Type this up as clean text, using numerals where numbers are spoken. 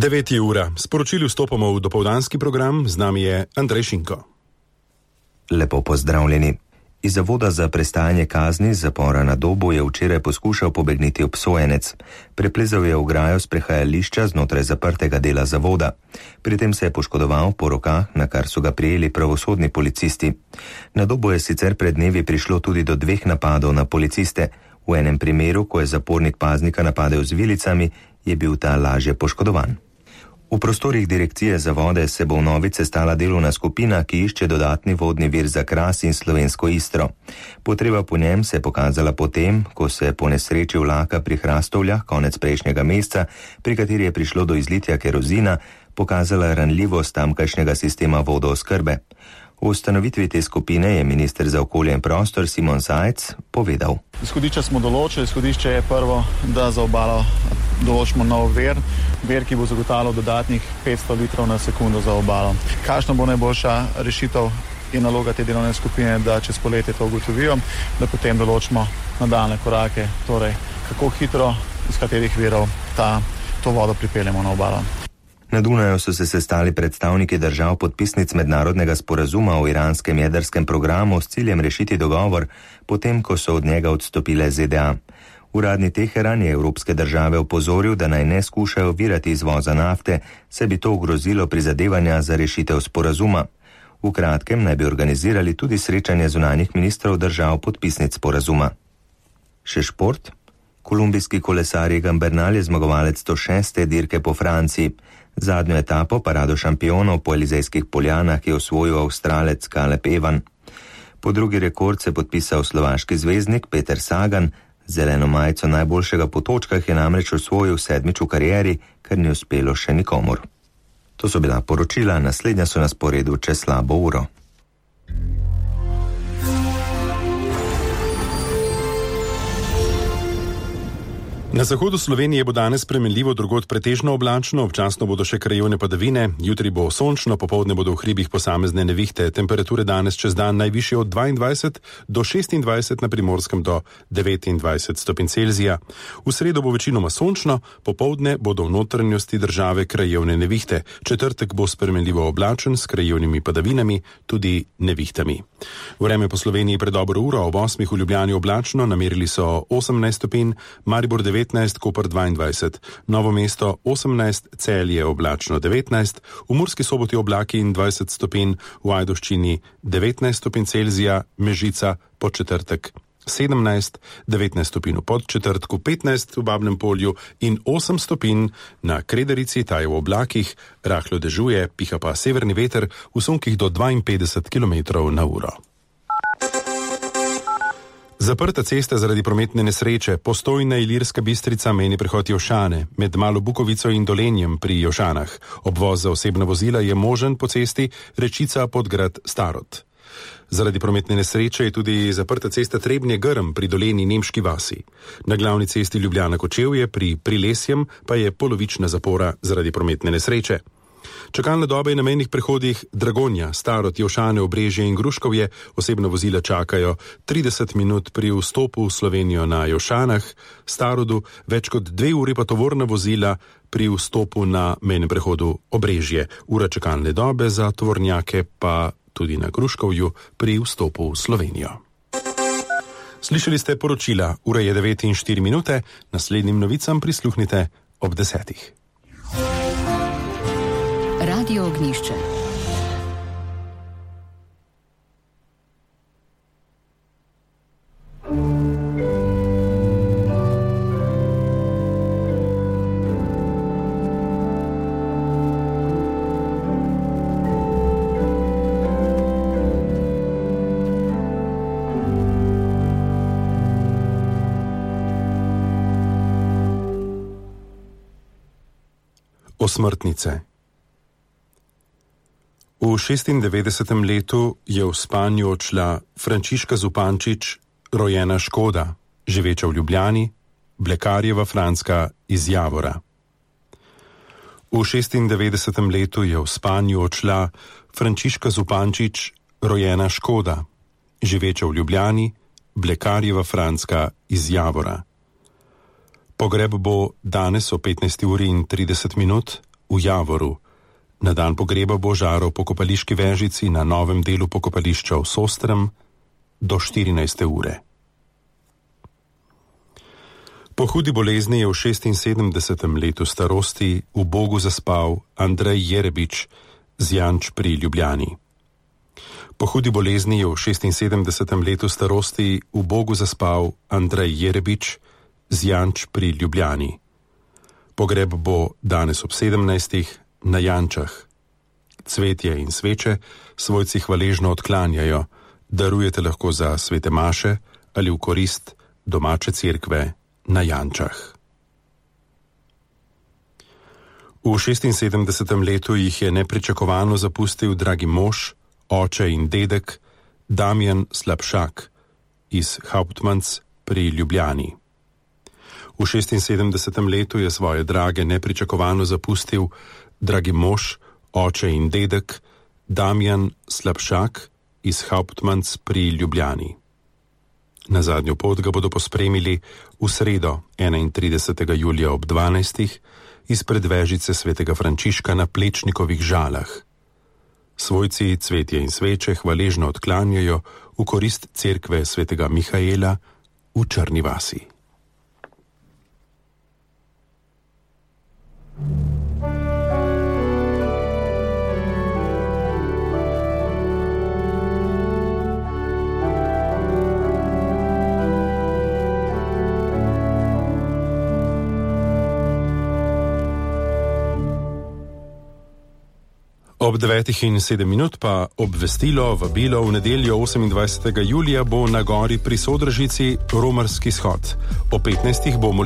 9 ura. Sporočili vstopamo v dopoldanski program, z nami je Andrej Šinko. Lepo pozdravljeni. Iz zavoda za prestajanje kazni zapora na Dobu je včeraj poskušal pobegniti obsojenec. Preplezal je ograjo sprehajališča znotraj zaprtega dela zavoda. Pri tem se je poškodoval po rokah, na kar so ga prijeli pravosodni policisti. Na Dobu je sicer pred dnevi prišlo tudi do 2 napadov na policiste. V enem primeru, ko je zapornik paznika napadel z vilicami, je bil ta lažje poškodovan. V prostorih direkcije za vode se bo vnovič sestala delovna skupina, ki išče dodatni vodni vir za Kras in slovensko Istro. Potreba po njem se je pokazala potem, ko se je po nesreči vlaka pri Hrastovljah konec prejšnjega meseca, pri kateri je prišlo do izlitja kerozina, pokazala ranljivost tamkajšnjega sistema vodooskrbe. V ustanovitvi te skupine je minister za okolje in prostor Simon Zajc povedal. Izhodišče smo določili. Izhodišče je prvo, da za obalo določimo nov vir, ki bo zagotavljal dodatnih 500 litrov na sekundo za obalo. Kakšna bo najboljša rešitev je naloga te delovne skupine, da čez poletje to ugotovijo, da potem določimo nadaljne korake, torej kako hitro, iz katerih virov to vodo pripeljemo na obalo. Na Dunaju so se sestali predstavniki držav podpisnic mednarodnega sporazuma o iranskem jedrskem programu s ciljem rešiti dogovor, potem ko so od njega odstopile ZDA. Uradni Teheran je evropske države opozoril, da naj ne skušajo ovirati izvoza nafte, saj bi to ogrozilo prizadevanja za rešitev sporazuma. V kratkem naj bi organizirali tudi srečanje zunanjih ministrov držav podpisnic sporazuma. Še šport? Kolumbijski kolesar Egan Bernal je zmagovalec 106. dirke po Franciji. Zadnjo etapo parado šampionov po Elizejskih poljanah je osvojil Avstralec Caleb Ewan. Po drugi rekord se podpisal slovaški zvezdnik Peter Sagan. Zeleno majico najboljšega po točkah je namreč osvojil 7. v karieri, kar ni uspelo še nikomur. To so bila poročila, naslednja so na sporedu čez slabo uro. Na zahodu Slovenije bo danes spremenljivo, drugod pretežno oblačno, občasno bodo še krajevne padavine, jutri bo sončno, popoldne bodo v hribih posamezne nevihte. Temperature danes čez dan najvišje od 22 do 26, na Primorskem do 29 stopinj Celzija. V sredo bo večinoma sončno, popoldne bodo v notranjosti države krajevne nevihte. Četrtek bo spremenljivo oblačen s krajevnimi padavinami, tudi nevihtami. Vreme po Sloveniji pred dobro uro, ob 8 v Ljubljani oblačno, namerili so 18 stopinj, Maribor 19, Koper 22, Novo mesto 18, Celje oblačno 19, v Murski Soboti oblaki in 20 stopinj, v Ajdovščini 19 stopinj Celzija, Mežica po četrtek 17, 19 stopinj v Podčetrtku, 15 v Babnem Polju in 8 stopinj na Krederici, ta je v oblakih, rahlo dežuje, piha pa severni veter v sunkih do 52 km na uro. Zaprta cesta zaradi prometne nesreče, Postojna Ilirska Bistrica mejni prehod Jošane, med Malo Bukovico in Dolenjem pri Jošanah. Obvoz za osebna vozila je možen po cesti Rečica Podgrad Starod. Zaradi prometne nesreče je tudi zaprta cesta Trebnje-Grm pri Doleni Nemški vasi. Na glavni cesti Ljubljana-Kočevje pri Prilesjem pa je polovična zapora zaradi prometne nesreče. Čakalne dobe na mejnih prehodih Dragonja, Starod, Jošane, Obrežje in Gruškovje, osebna vozila čakajo 30 minut pri vstopu v Slovenijo na Jošanah, Starodu, več kot 2 uri pa tovorna vozila pri vstopu na mejnem prehodu Obrežje. Ura čakalne dobe za tovornjake pa tudi na Gruškovju pri vstopu v Slovenijo. Slišali ste poročila, ura je 9:04, naslednjim novicam prisluhnite ob 10. Radio Ognjišče. Osmrtnice. V 96. letu je v spanju odšla Frančiška Zupančič, rojena Škoda, živeča v Ljubljani, Blekarjeva Franska iz Javora. V 96. letu je v spanju odšla Frančiška Zupančič, rojena Škoda, živeča v Ljubljani, Blekarjeva Franska iz Javora. Pogreb bo danes o 15:30 v Javoru. Na dan pogreba bo žaral po pokopališki vežici na novem delu pokopališča v Sostrem do 14. ure. Po hudi bolezni je v 76. letu starosti v Bogu zaspal Andrej Jerebič z Janč pri Ljubljani. Po hudi bolezni je v 76. letu starosti v Bogu zaspal Andrej Jerebič z Janč pri Ljubljani. Pogreb bo danes ob 17. na Jančah. Cvetje in sveče svojci hvaležno odklanjajo, darujete lahko za svete maše ali v korist domače cerkve na Jančah. V 76. letu jih je nepričakovano zapustil dragi mož, oče in dedek Damjan Slapšak iz Hauptmanns pri Ljubljani. V 76. letu je svoje drage nepričakovano zapustil dragi mož, oče in dedek Damjan Slapšak iz Hauptmanns pri Ljubljani. Na zadnjo pot ga bodo pospremili v sredo 31. julija ob 12. izpred vežice svetega Frančiška na Plečnikovih Žalah. Svojci cvetje in sveče hvaležno odklanjajo v korist cerkve svetega Mihaela v Črni vasi. Ob 9:07 pa obvestilo, vabilo v nedeljo 28. julija bo na gori pri Sodražici romarski shod. O 15. bo molitev